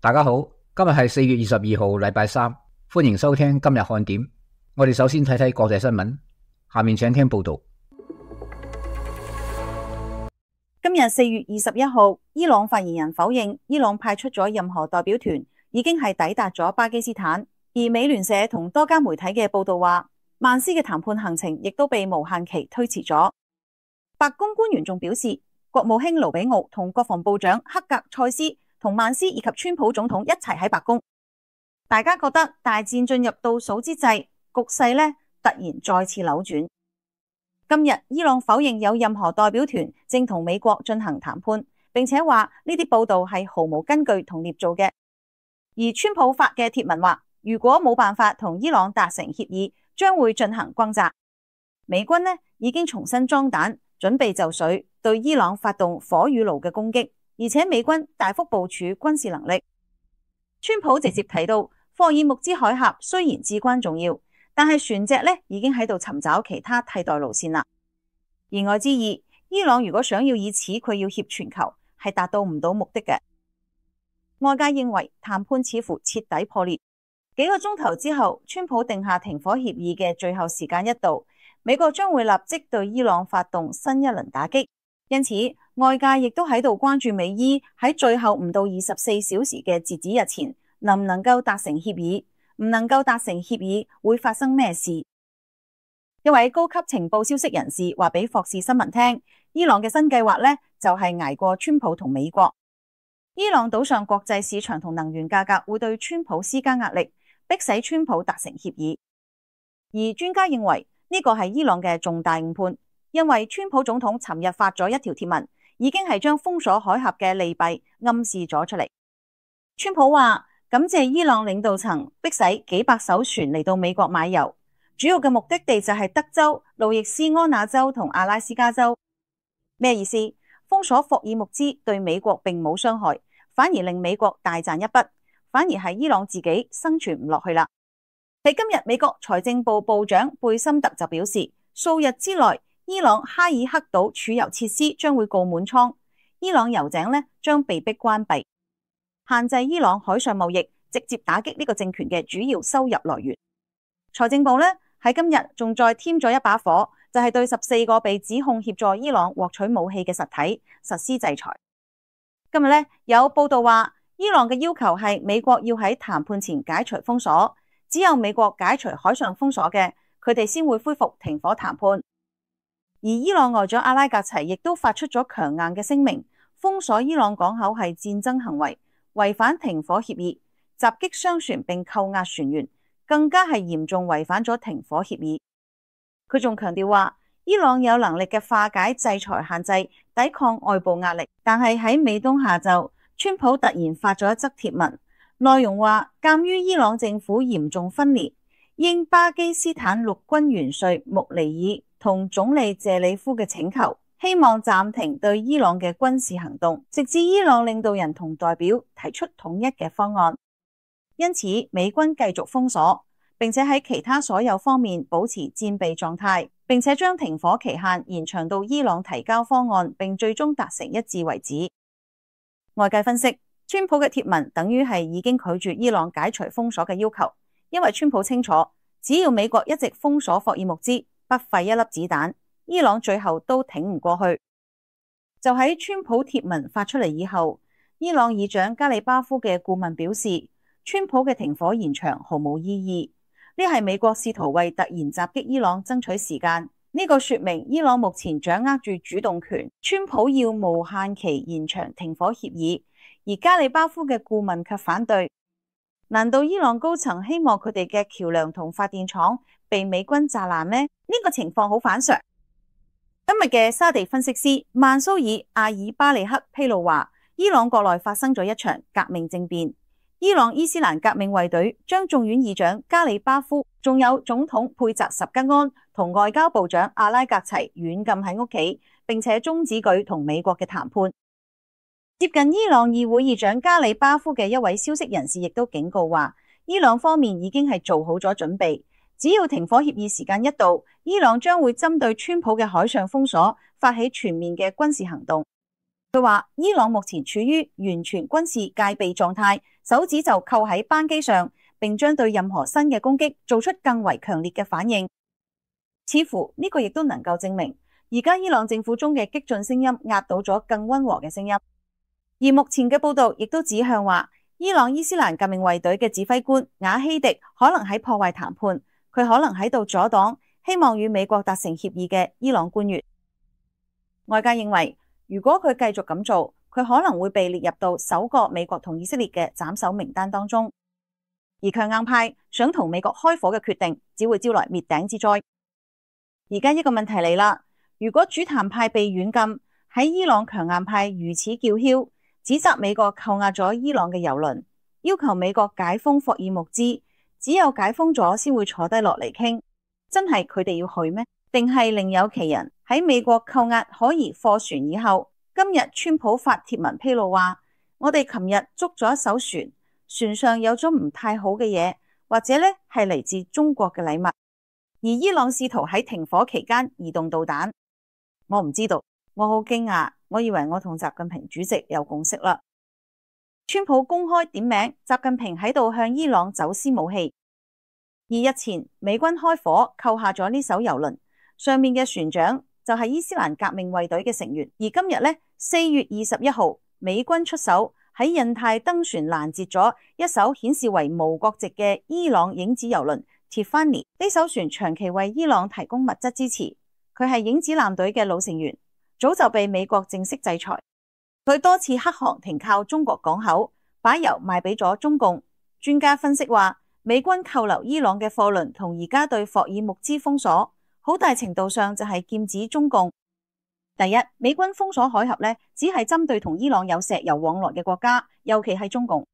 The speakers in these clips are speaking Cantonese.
大家好，今日係4月22號，禮拜三，歡迎收聽今日看點。我哋首先睇睇國際新聞，下面請聽報道。今日4月21號，伊朗發言人否認伊朗派出咗任何代表團，已經係抵達咗巴基斯坦。而美聯社同多家媒體嘅報道話，曼斯嘅談判行程亦都被無限期推遲咗。白宮官員仲表示，國務卿盧比奧同國防部長克格塞斯同曼斯以及川普總統一齊喺白宮，大家覺得大戰進入倒數之際，局勢呢突然再次扭轉。今日伊朗否認有任何代表團正同美國進行談判，並且話呢啲報道係毫無根據同捏造嘅。而川普發嘅貼文話，如果冇辦法同伊朗達成協議，將會進行轟炸。美軍呢已經重新裝彈，準備就緒對伊朗發動火與爐嘅攻擊。而且美軍大幅部署軍事能力。川普直接提到，霍爾木茲海峽雖然至關重要，但係船隻呢已經喺度尋找其他替代路線啦。言外之意，伊朗如果想要以此佢要挾全球，係達到唔到目的嘅。外界認為談判似乎徹底破裂。幾個鐘頭之後，川普定下停火協議嘅最後時間一到，美國將會立即對伊朗發動新一輪打擊。因此，外界亦都喺度關注美伊喺最後唔到24小時嘅截止日前，能唔能夠達成協議？唔能夠達成協議，會發生咩事？一位高級情報消息人士話俾霍士新聞聽，伊朗嘅新計劃呢，就係捱過川普同美國。伊朗賭上國際市場同能源價格會對川普施加壓力，迫使川普達成協議。而專家認為呢個係伊朗嘅重大誤判。因為川普總統尋日發咗一條貼文，已經係將封鎖海峽嘅利弊暗示咗出嚟。川普話感謝伊朗領導層迫使幾百艘船嚟到美國買油，主要嘅目的地就係德州、路易斯安那州同阿拉斯加州。咩意思？封鎖霍爾木茲對美國並冇傷害，反而令美國大賺一筆，反而係伊朗自己生存唔落去啦。喺今日，美國財政部部長貝森特就表示，數日之內，伊朗哈爾克島儲油設施將會告滿倉，伊朗油井呢將被迫關閉，限制伊朗海上貿易，直接打擊呢個政權嘅主要收入來源。財政部呢喺今日仲再添咗一把火，就係對14個被指控協助伊朗獲取武器嘅實體實施制裁。今日呢有報道話，伊朗嘅要求係美國要喺談判前解除封鎖，只有美國解除海上封鎖嘅，佢哋先會恢復停火談判。而伊朗外長阿拉格齊亦都發出咗強硬嘅聲明，封鎖伊朗港口係戰爭行為，違反停火協議，襲擊商船並扣押船員，更加係嚴重違反咗停火協議。佢仲強調話，伊朗有能力嘅化解制裁限制，抵抗外部壓力。但係喺美東下晝，川普突然發咗一則貼文，內容話，鑒於伊朗政府嚴重分裂，應巴基斯坦陸軍元帥穆尼爾同總理謝里夫嘅請求，希望暫停對伊朗嘅軍事行動，直至伊朗領導人同代表提出統一嘅方案。因此，美軍繼續封鎖，並且喺其他所有方面保持戰備狀態，並且將停火期限延長到伊朗提交方案並最終達成一致為止。外界分析，川普嘅貼文等於係已經拒絕伊朗解除封鎖嘅要求，因為川普清楚，只要美國一直封鎖霍爾木茲，不費一粒子彈，伊朗最後都挺唔過去。就喺川普貼文發出嚟以後，伊朗議長加里巴夫嘅顧問表示，川普嘅停火延長毫無意義，呢係美國試圖為突然襲擊伊朗爭取時間。呢個說明伊朗目前掌握住主動權，川普要無限期延長停火協議，而加里巴夫嘅顧問卻反對。難道伊朗高層希望佢哋嘅橋樑同發電廠被美軍炸爛咩？呢個情況好反常。今日嘅沙地分析師曼蘇爾阿爾巴利克披露話，伊朗國內發生咗一場革命政變。伊朗伊斯蘭革命衛隊將眾院議長加里巴夫，仲有總統佩澤什吉安同外交部長阿拉格齊軟禁喺屋企，並且終止佢同美國嘅談判。接近伊朗議會議長加里巴夫嘅一位消息人士亦都警告話，伊朗方面已經係做好咗準備，只要停火協議時間一到，伊朗將會針對川普嘅海上封鎖發起全面嘅軍事行動。佢話伊朗目前處於完全軍事戒備狀態，手指就扣喺扳機上，並將對任何新嘅攻擊做出更為強烈嘅反應。似乎呢個亦都能夠證明，而家伊朗政府中嘅激進聲音壓倒咗更溫和嘅聲音。而目前嘅報道亦都指向話，伊朗伊斯蘭革命衛隊嘅指揮官瓦希迪可能喺破壞談判，佢可能喺度阻擋希望與美國達成協議嘅伊朗官員。外界認為，如果佢繼續咁做，佢可能會被列入到首個美國同以色列嘅斬首名單當中。而強硬派想同美國開火嘅決定，只會招來滅頂之災。而家一個問題嚟啦，如果主談派被軟禁，喺伊朗強硬派如此叫囂，指責美國扣押咗伊朗嘅油輪，要求美國解封霍爾木茲，只有解封咗先會坐低落嚟傾，真係佢哋要去咩？定係另有其人？喺美國扣押可疑貨船以後，今日川普發帖文披露話，我哋琴日捉咗一艘船，船上有咗唔太好嘅嘢，或者呢係嚟自中國嘅禮物。而伊朗試圖喺停火期間移動導彈，我唔知道，我好驚訝，我以為我同習近平主席有共識啦。川普公開點名習近平喺度向伊朗走私武器，而日前美軍開火扣下咗呢艘油輪，上面嘅船長就係伊斯蘭革命衛隊嘅成員。而今日呢，4月21號，美軍出手喺印太登船攔截咗一艘顯示為無國籍嘅伊朗影子油輪。Tiffany 呢艘船長期為伊朗提供物質支持，佢係影子艦隊嘅老成員，早就被美國正式制裁。佢多次黑航停靠中國港口，把油賣俾咗中共。專家分析話，美軍扣留伊朗嘅貨輪同而家對霍爾木茲封鎖，好大程度上就係劍指中共。第一，美軍封鎖海峽呢，只係針對同伊朗有石油往來嘅國家，尤其係中共。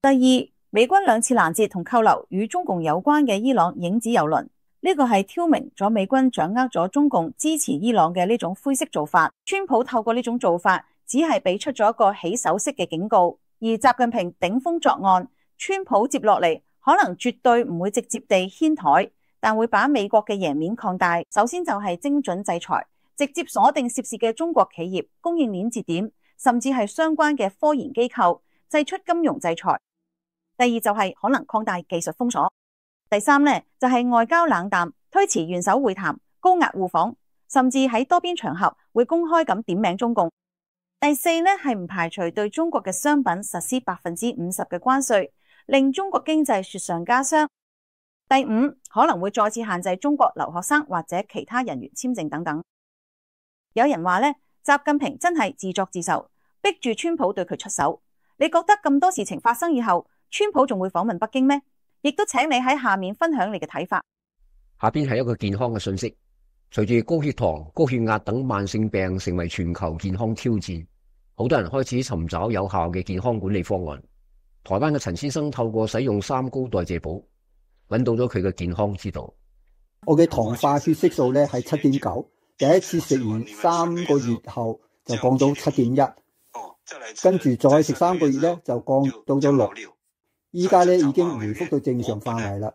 第二，美軍2次攔截同扣留與中共有關嘅伊朗影子油輪，呢個係挑明咗美軍掌握咗中共支持伊朗嘅呢種灰色做法。川普透過呢種做法，只係俾出咗一個起手式嘅警告。而習近平頂風作案，川普接落嚟可能絕對唔會直接地掀台，但會把美國嘅贏面擴大。首先就係精準制裁，直接鎖定涉事嘅中國企業、供應鏈節點，甚至係相關嘅科研機構，祭出金融制裁。第二就係可能擴大技術封鎖。第三呢，就係外交冷淡，推遲元首會談，高壓互訪，甚至喺多邊場合會公開咁點名中共。第四呢，係唔排除對中國嘅商品實施50%嘅關稅，令中國經濟雪上加霜。第五，可能會再次限制中國留學生或者其他人員簽證等等。有人話呢，習近平真係自作自受，逼住川普對佢出手。你覺得咁多事情發生以後，川普仲會訪問北京咩？亦都請你喺下面分享你嘅睇法。下邊係一個健康嘅信息。隨住高血糖、高血壓等慢性病成為全球健康挑戰，好多人開始尋找有效嘅健康管理方案。台灣嘅陳先生透過使用3高代謝寶，揾到咗佢嘅健康之道。我嘅糖化血色素咧係7.9，第一次食完3個月後就降到7.1，跟住再食3個月咧就降到咗6。依家咧已經回復到正常範圍啦。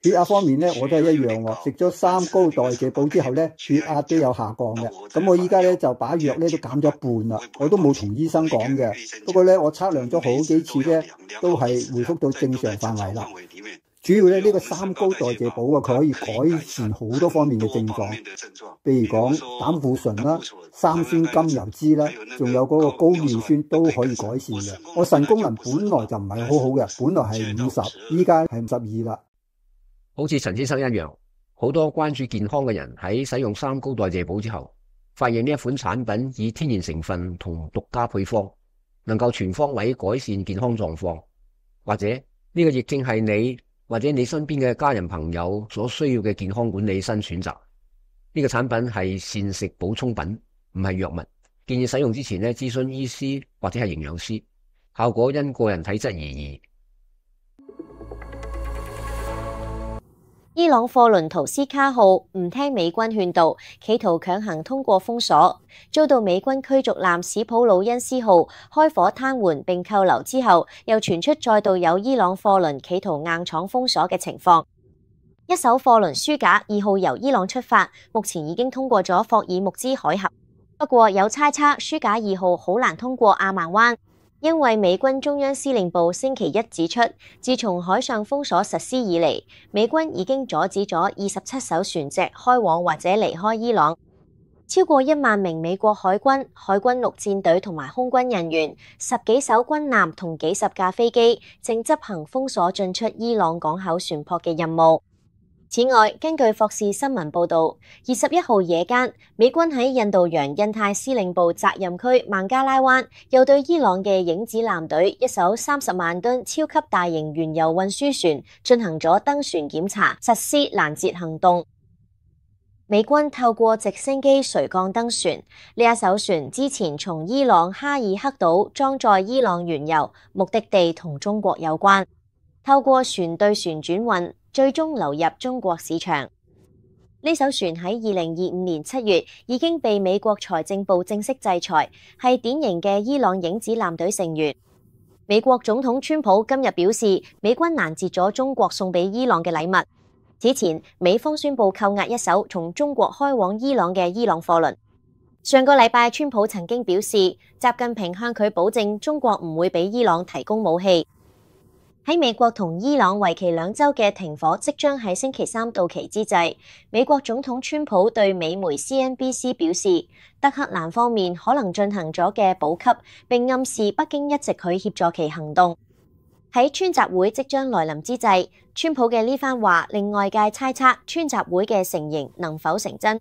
血壓方面咧我都係一樣喎，食咗3高代謝寶之後咧血壓都有下降嘅。咁我依家咧就把藥咧都減咗一半啦，我都冇同醫生講嘅。不過咧我測量咗好幾次咧都係回復到正常範圍啦。主要咧呢個3高代謝寶啊，佢可以改善好多方面嘅症狀，譬如講膽固醇啦、三酸甘油脂啦，仲有嗰個高尿酸都可以改善嘅。我腎功能本來就唔係好好嘅，本來係50，依家係52啦。好似陳先生一樣，好多關注健康嘅人喺使用3高代謝寶之後，發現呢一款產品以天然成分同獨家配方，能夠全方位改善健康狀況，或者呢個亦正係你或者你身邊嘅家人朋友所需要嘅健康管理新選擇。呢個產品係膳食補充品，唔係藥物。建議使用之前呢，諮詢醫師或者係營養師，效果因個人體質而異。伊朗貨輪圖斯卡號唔聽美軍勸導，企圖強行通過封鎖，遭到美軍驅逐艦史普魯恩斯號開火癱瘓並扣留之後，又傳出再度有伊朗貨輪企圖硬闖封鎖嘅情況。一艘貨輪舒賈2號由伊朗出發，目前已經通過咗霍爾木茲海峽。不過有猜測舒賈2號好難通過阿曼灣，因為美軍中央司令部星期一指出，自從海上封鎖實施以嚟，美軍已經阻止咗27艘船隻開往或者離開伊朗。超過1萬名美國海軍、海軍陸戰隊同埋空軍人員、10幾艘軍艦同幾十架飛機正執行封鎖進出伊朗港口船舶嘅任務。此外，根據霍士新聞報導，21號夜間，美軍喺印度洋印太司令部責任區孟加拉灣，又對伊朗嘅影子艦隊一艘30萬噸超級大型原油運輸船進行咗登船檢查，實施攔截行動。美軍透過直升機垂降登船，呢一艘船之前從伊朗哈爾克島裝載伊朗原油，目的地同中國有關。透過船對船轉運，最終流入中國市場。呢艘船喺2025年7月已經被美國財政部正式制裁，係典型嘅伊朗影子艦隊成員。美國總統川普今日表示，美軍攔截咗中國送俾伊朗嘅禮物。此前，美方宣布扣押一艘從中國開往伊朗嘅伊朗貨輪。上個禮拜，川普曾經表示，習近平向佢保證中國唔會俾伊朗提供武器。喺美國同伊朗為期2週嘅停火即將喺星期3到期之際，美國總統川普對美媒 CNBC 表示，德黑蘭方面可能進行咗嘅補給，並暗示北京一直去協助其行動。喺川習會即將來臨之際，川普嘅呢番話令外界猜測川習會嘅成形能否成真。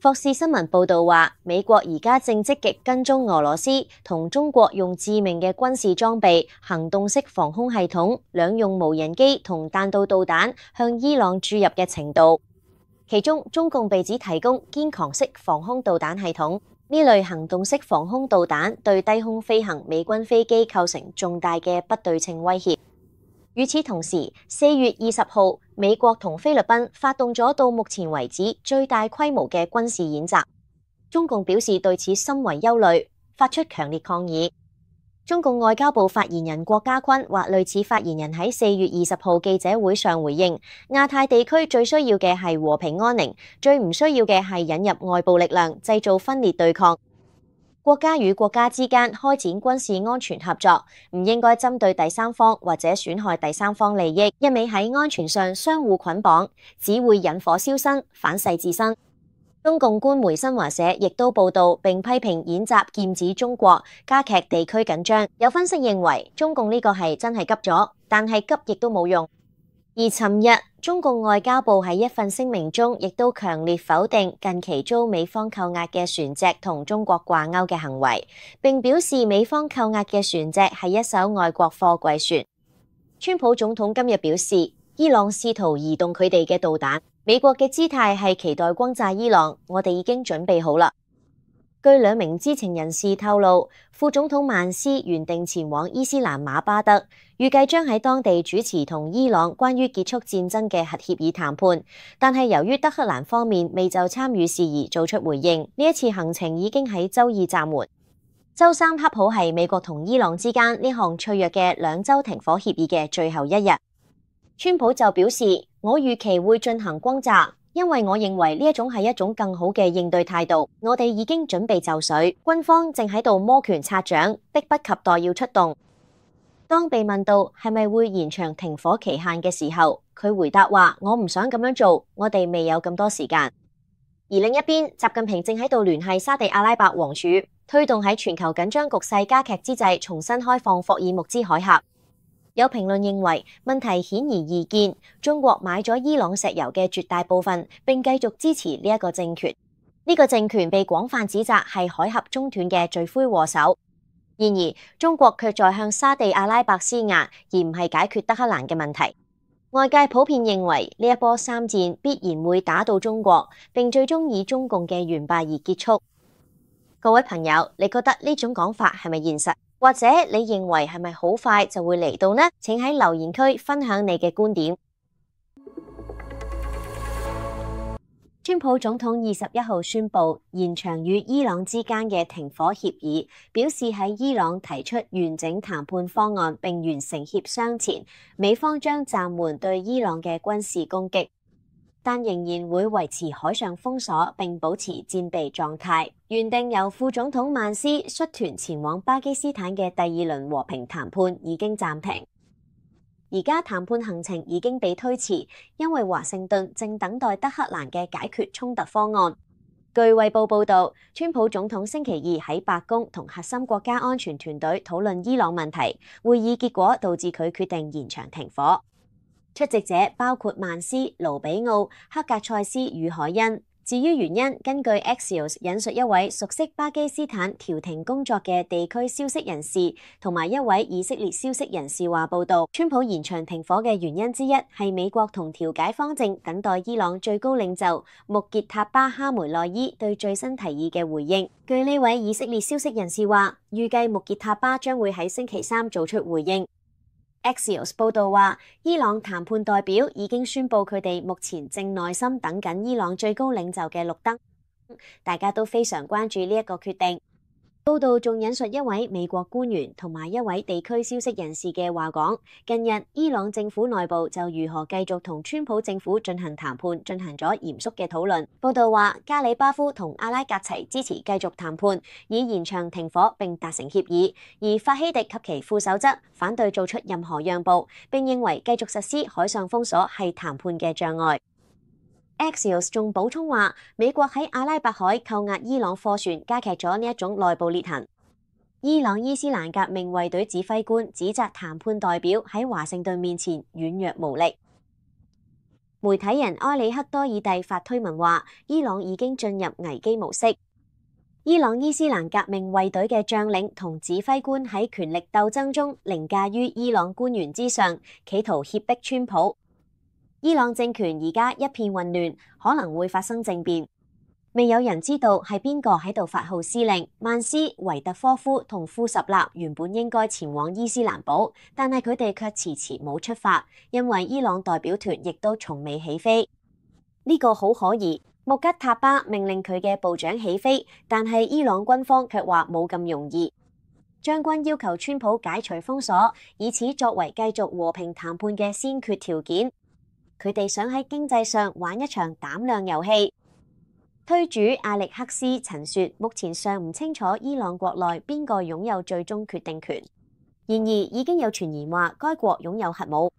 霍士新聞報導話，美國而家正積極跟蹤俄羅斯同中國用致命嘅軍事裝備、行動式防空系統、兩用無人機同彈道導彈向伊朗注入嘅程度。其中，中共被指提供堅強式防空導彈系統。呢類行動式防空導彈對低空飛行美軍飛機構成重大嘅不對稱威脅。與此同時，4月20號，美國同菲律賓發動咗到目前為止最大規模嘅軍事演習。中共表示對此深為憂慮，發出強烈抗議。中共外交部發言人郭家坤或類似發言人喺4月20號記者會上回應，亞太地區最需要嘅係和平安寧，最唔需要嘅係引入外部力量，製造分裂對抗。國家與國家之間開展軍事安全合作，唔應該針對第三方或者損害第三方利益，一味喺安全上相互捆綁，只會引火燒身，反噬自身。中共官媒新華社亦都報道並批評演習劍指中國，加劇地區緊張。有分析認為，中共呢個係真係急咗，但係急亦都冇用。而尋日，中共外交部喺一份聲明中，亦都強烈否定近期遭美方扣押嘅船隻同中國掛鈎嘅行為，並表示美方扣押嘅船隻係一艘外國貨櫃船。川普總統今日表示，伊朗試圖移動佢哋嘅導彈，美國嘅姿態係期待轟炸伊朗，我哋已經準備好啦。據2名知情人士透露，副總統曼斯原定前往伊斯蘭馬巴德，預計將喺當地主持同伊朗關於結束戰爭嘅核協議談判，但係由於德黑蘭方面未就參與事宜做出回應，呢一次行程已經喺周二暫緩。周三恰好係美國同伊朗之間呢項脆弱嘅2週停火協議嘅最後一日。川普就表示，我預期會進行轟炸，因為我認為呢一種係一種更好嘅應對態度。我哋已經準備就緒，軍方正喺度摩拳擦掌，迫不及待要出動。當被問到係咪會延長停火期限嘅時候，佢回答話：我唔想咁樣做，我哋未有咁多時間。而另一邊，習近平正喺度聯繫沙地阿拉伯王儲，推動喺全球緊張局勢加劇之際重新開放霍爾木茲海峽。有評論認為，問題顯而易見，中國買咗伊朗石油嘅絕大部分，並繼續支持呢一個政權。呢個政權被廣泛指責係海峽中斷嘅罪魁禍首。然而，中國卻在向沙地阿拉伯施壓，而唔係解決德黑蘭嘅問題。外界普遍認為呢一波3戰必然會打到中國，並最終以中共嘅完敗而結束。各位朋友，你覺得呢種講法係咪現實？或者你認為係咪好快就會嚟到呢？請喺留言區分享你嘅觀點。川普總統21號宣布延長與伊朗之間嘅停火協議，表示喺伊朗提出完整談判方案並完成協商前，美方將暫緩對伊朗嘅軍事攻擊。但仍然會維持海上封鎖並保持戰備狀態。原定由副總統曼斯率團前往巴基斯坦嘅第二輪和平談判已經暫停。而家談判行程已經被推遲，因為華盛頓正等待德黑蘭嘅解決衝突方案。據衛報報導，川普總統星期二喺白宮同核心國家安全團隊討論伊朗問題，會議結果導致佢決定延長停火。出席者包括曼斯、盧比奧、克格塞斯與海恩。至於原因，根據 Axios 引述一位熟悉巴基斯坦調停工作嘅地區消息人士同埋一位以色列消息人士話報道，川普延長停火嘅原因之一係美國同調解方正等待伊朗最高領袖穆傑塔巴哈梅內伊對最新提議嘅回應。據呢位以色列消息人士話，預計穆傑塔巴將會喺星期三做出回應。Axios 報導話，伊朗談判代表已經宣布佢哋目前正耐心等緊伊朗最高領袖嘅綠燈，大家都非常關注呢一個決定。報道仲引述一位美國官員同埋一位地區消息人士嘅話講，近日伊朗政府內部就如何繼續同川普政府進行談判進行咗嚴肅嘅討論。報道話，加里巴夫同阿拉格齊支持繼續談判，以延長停火並達成協議，而法希迪及其副手則反對做出任何讓步，並認為繼續實施海上封鎖係談判嘅障礙。Axios 仲補充話，美國喺阿拉伯海扣押伊朗貨船，加劇咗呢一種內部裂痕。伊朗伊斯蘭革命衛隊指揮官指責談判代表喺華盛頓面前軟弱無力。媒體人埃里克多爾蒂發推文話，伊朗已經進入危機模式。伊朗伊斯蘭革命衛隊嘅將領同指揮官喺權力鬥爭中凌駕於伊朗官員之上，企圖脅迫川普。伊朗政權而家一片混亂，可能會發生政變。未有人知道係邊個喺度發號施令。曼斯、維特科夫同庫什納原本應該前往伊斯蘭堡，但係佢哋卻遲遲冇出發，因為伊朗代表團亦都從未起飛。呢個好可疑。穆吉塔巴命令佢嘅部長起飛，但係伊朗軍方卻話冇咁容易。將軍要求川普解除封鎖，以此作為繼續和平談判嘅先決條件。佢哋想喺經濟上玩一場膽量遊戲。推主阿力克斯曾說，目前尚唔清楚伊朗國內邊個擁有最終決定權。然而已經有傳言話該國擁有核武。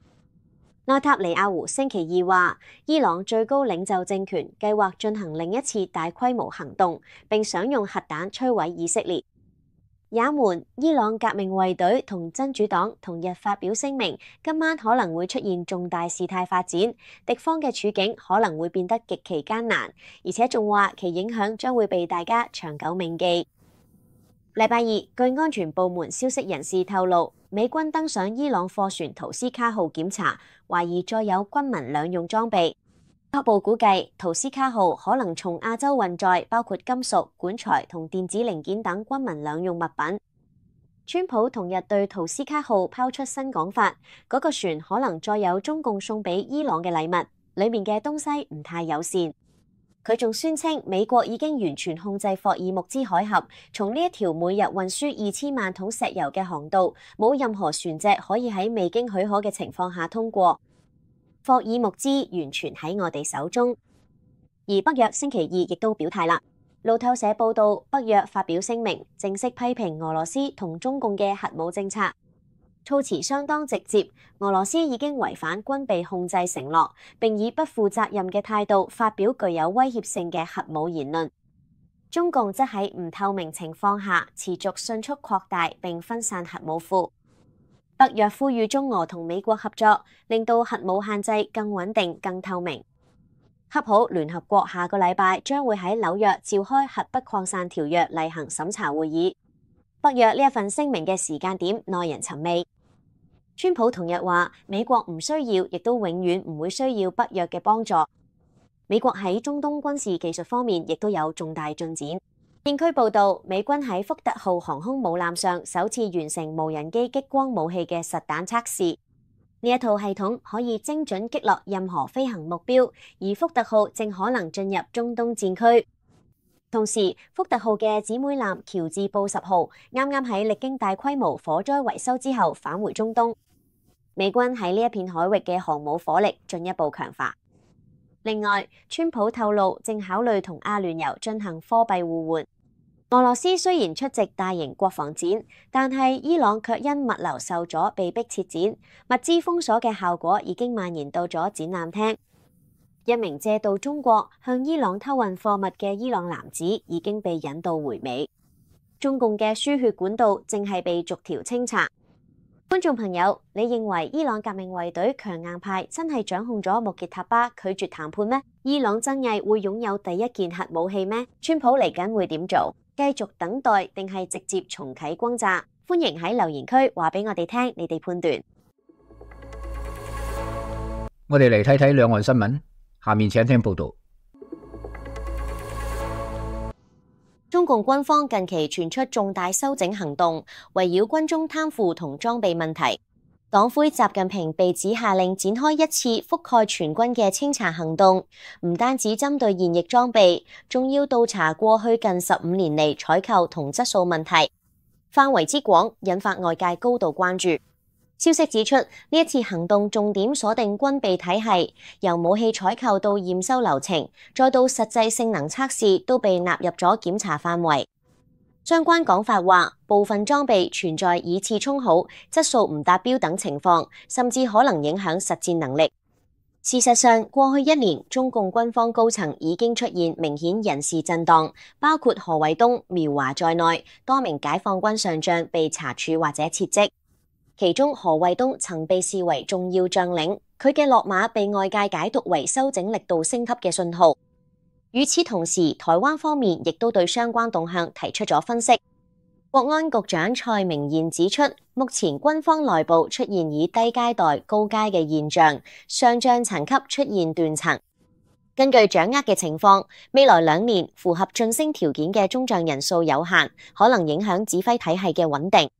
內塔尼亞胡星期二話，伊朗最高領袖政權計劃進行另一次大規模行動，並想用核彈摧毀以色列。也門、伊朗革命衛隊同真主黨同日發表聲明，今晚可能會出現重大事態發展，敵方嘅處境可能會變得極其艱難，而且仲話其影響將會被大家長久銘記。禮拜二，據安全部門消息人士透露，美軍登上伊朗貨船圖斯卡號檢查，懷疑載有軍民兩用裝備。初步估計，圖斯卡號可能從亞洲運載包括金屬、管材同電子零件等軍民兩用物品。川普同日對圖斯卡號拋出新講法，嗰個船可能載有中共送俾伊朗嘅禮物，裡面嘅東西唔太友善。佢仲宣稱美國已經完全控制霍爾木茲海峽，從呢一條每日運輸2000萬桶石油嘅航道，冇任何船隻可以喺未經許可嘅情況下通過。霍爾木茲完全喺我哋手中。而北約星期二亦都表態啦。路透社報道，北約發表聲明，正式批評俄羅斯同中共嘅核武政策，措辭相當直接。俄羅斯已經違反軍備控制承諾，並以不負責任嘅態度發表具有威脅性嘅核武言論。中共則喺唔透明情況下持續迅速擴大並分散核武庫。北約呼籲中俄同美國合作，令到核武限制更穩定、更透明。恰好聯合國下個禮拜將會喺紐約召開核不擴散條約例行審查會議。北約呢一份聲明嘅時間點耐人尋味。川普同日話，美國唔需要，亦都永遠唔會需要北約嘅幫助。美國喺中東軍事技術方面亦都有重大進展。片區報導，美軍喺福特號航空母艦上首次完成無人機激光武器嘅實彈測試。呢一套系統可以精準擊落任何飛行目標，而福特號正可能進入中東戰區。同時，福特號嘅姊妹艦喬治布什號啱啱喺歷經大規模火災維修之後返回中東。美軍喺呢一片海域嘅航母火力進一步強化。另外，川普透露正考慮同阿聯酋進行貨幣互換。俄羅斯雖然出席大型國防展，但係伊朗卻因物流受阻被迫撤展，物資封鎖嘅效果已經蔓延到咗展覽廳。一名借道中國向伊朗偷運貨物嘅伊朗男子已經被引渡回美。中共嘅輸血管道正係被逐條清查。觀眾朋友，你認為伊朗革命衛隊強硬派真係掌控咗穆傑塔巴拒絕談判咩？伊朗真係會擁有第一件核武器咩？川普嚟緊會點做？繼續等待定係直接重啟轟炸？歡迎喺留言區話俾我哋聽，你哋判斷。我哋嚟睇睇兩岸新聞，下面請聽報道。中共軍方近期傳出重大修整行動，圍繞軍中貪腐同裝備問題，黨魁習近平被指下令展開一次覆蓋全軍嘅清查行動，唔單止針對現役裝備，仲要調查過去近15年嚟採購同質素問題，範圍之廣，引發外界高度關注。消息指出，呢一次行動重點鎖定軍備體系，由武器採購到驗收流程，再到實際性能測試，都被納入咗檢查範圍。相關講法話，部分裝備存在以次充好、質素唔達標等情況，甚至可能影響實戰能力。事實上，過去1年，中共軍方高層已經出現明顯人事震盪，包括何衛東、苗華在內，多名解放軍上將被查處或者撤職。其中何衛東曾被視為重要將領，佢嘅落馬被外界解讀為修整力度升級嘅信號。與此同時，台灣方面亦都對相關動向提出咗分析。國安局長蔡明彥指出，目前軍方內部出現以低階代高階嘅現象，上將層級出現斷層。根據掌握嘅情況，未來2年符合晉升條件嘅中將人數有限，可能影響指揮體系嘅穩定。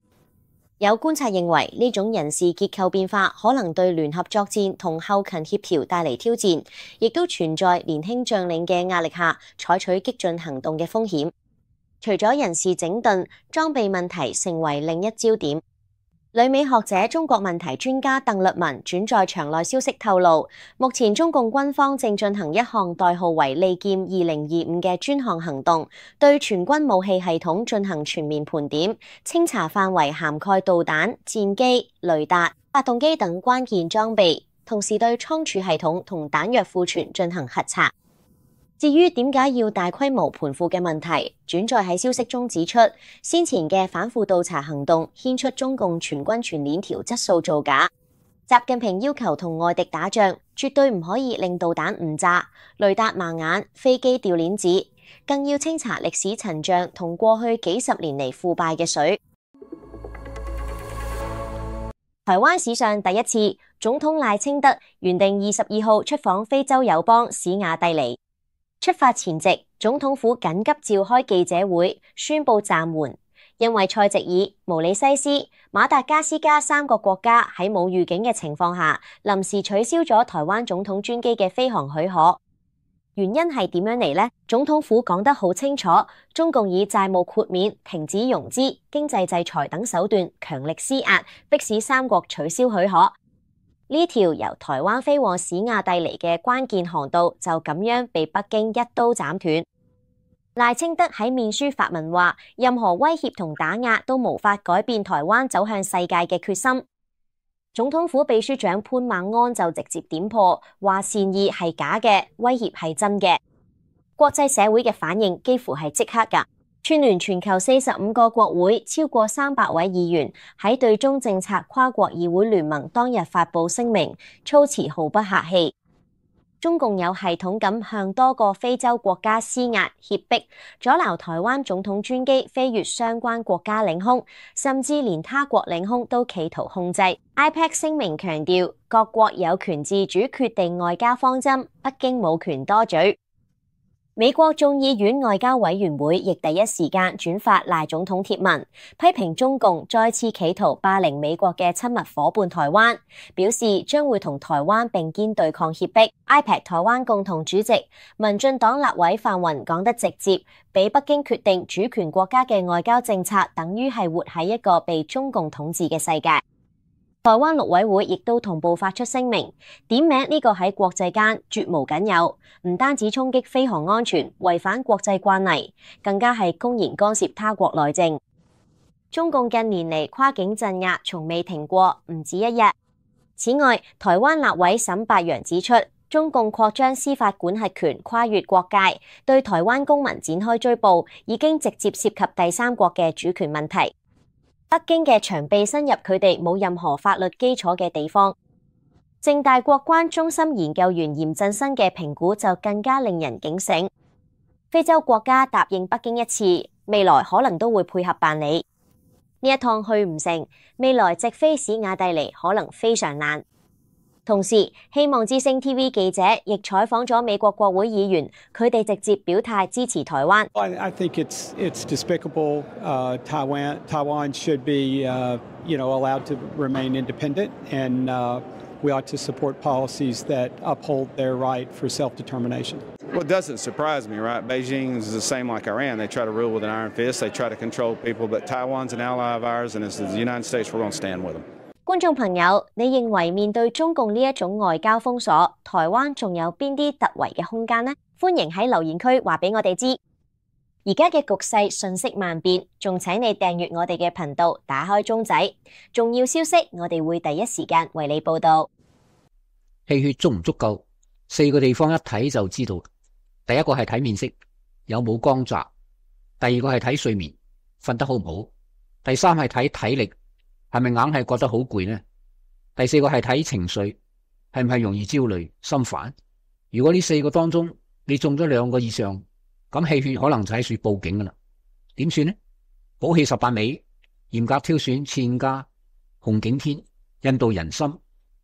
有觀察認為，呢種人事結構變化可能對聯合作戰同後勤協調帶嚟挑戰，亦都存在年輕將領嘅壓力下採取激進行動嘅風險。除咗人事整頓，裝備問題成為另一焦點。旅美學者、中國問題專家鄧律文轉載場內消息透露，目前中共軍方正進行一項代號為利劍2025嘅專項行動，對全軍武器系統進行全面盤點，清查範圍涵蓋導彈、戰機、雷達、發動機等關鍵裝備，同時對倉儲系統同彈藥庫存進行核查。至於點解要大規模盤庫嘅問題，轉載喺消息中指出，先前嘅反腐倒查行動牽出中共全軍全鏈條質素造假。習近平要求同外敵打仗，絕對唔可以令導彈誤炸、雷達盲眼、飛機掉鏈子，更要清查歷史陳賬同過去幾十年嚟腐敗嘅水。台灣史上第一次，總統賴清德原定22號出訪非洲友邦史亞帝尼。出發前夕，總統府緊急召開記者會，宣布暫緩，因為塞席爾、毛里西斯、馬達加斯加3個國家喺冇預警嘅情況下，臨時取消咗台灣總統專機嘅飛航許可。原因係點樣嚟呢？總統府講得好清楚，中共以債務豁免、停止融資、經濟制裁等手段強力施壓，迫使3國取消許可。呢條由台灣飛往史亞帝尼嘅關鍵航道就咁樣被北京一刀斬斷。賴清德喺面書發文話，任何威脅同打壓都無法改變台灣走向世界嘅決心。總統府秘書長潘孟安就直接點破，話善意係假嘅，威脅係真嘅。國際社會嘅反應幾乎係即刻㗎。串聯全球45個國會超過300位議員喺對中政策跨國議會聯盟當日發布聲明，措辭毫不客氣。中共有系統咁向多個非洲國家施壓脅迫，阻撓台灣總統專機飛越相關國家領空，甚至連他國領空都企圖控制。IPEC 聲明強調，各國有權自主決定外交方針，北京冇權多嘴。美國眾議院外交委員會亦第一時間轉發賴總統貼文，批評中共再次企圖霸凌美國嘅親密夥伴台灣，表示將會同台灣並肩對抗脅迫。IPEC 台灣共同主席民進黨立委范雲講得直接，俾北京決定主權國家嘅外交政策，等於係活喺一個被中共統治嘅世界。台灣陸委會亦都同步發出聲明，點名呢個喺國際間絕無僅有，唔單止衝擊飛航安全，違反國際慣例，更加係公然干涉他國內政。中共近年嚟跨境鎮壓從未停過，唔止一日。此外，台灣立委沈伯洋指出，中共擴張司法管轄權跨越國界，對台灣公民展開追捕，已經直接涉及第三國嘅主權問題。北京嘅長臂伸入佢哋冇任何法律基礎嘅地方。政大國關中心研究員嚴振新嘅評估就更加令人警醒。非洲國家答應北京一次，未來可能都會配合辦理。呢一趟去唔成，未來直飛史瓦帝尼可能非常難。同時，希望之聲 TV 記者亦採訪咗美國國會議員，佢哋直接表態支持台灣。I think it's despicable. Taiwan should be, allowed to remain independent, and we ought to support policies that uphold their right for self-determination. Well, it doesn't surprise me, right? Beijing is the same like Iran. They try to rule with an iron fist. They try to control people, but Taiwan's an ally of ours, and as the United States, we're going to stand with them. 觀眾朋友，你認為面對中共呢一種外交封鎖，台灣仲有邊啲突圍嘅空間呢？歡迎喺留言區話俾我哋知。而家嘅局勢瞬息萬變，仲請你訂閱我哋嘅頻道，打開鐘仔，重要消息我哋會第一時間為你報道。氣血足唔足夠？4個地方一睇就知道。第一個係睇面色，有冇光澤；第二個係睇睡眠，瞓得好唔好；第三係睇體力。係咪硬係覺得好攰呢？第4個係睇情緒，係唔係容易焦慮、心煩？如果呢4個當中你中咗2個以上，咁氣血可能就喺處報警噶啦。點算呢？補氣18味，嚴格挑選茜家、紅景天、印度人參、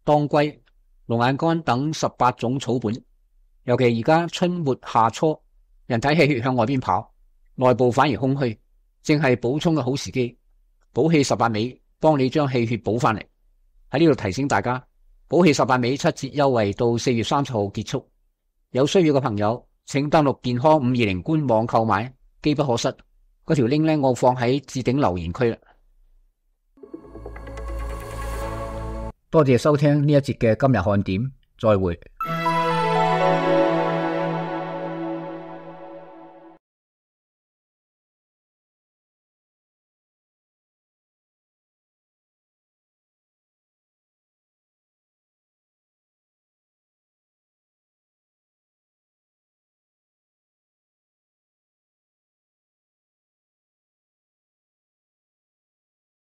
當歸、龍眼乾等18種草本。尤其而家春末夏初，人體氣血向外邊跑，內部反而空虛，正係補充嘅好時機。補氣18味。幫你將氣血補翻嚟。喺呢度提醒大家，補氣18味7折優惠到4月30號結束。有需要嘅朋友，請登錄健康520官網購買，機不可失。嗰條 link 我放喺置頂留言區啦。多謝收聽呢一節嘅今日看點，再會。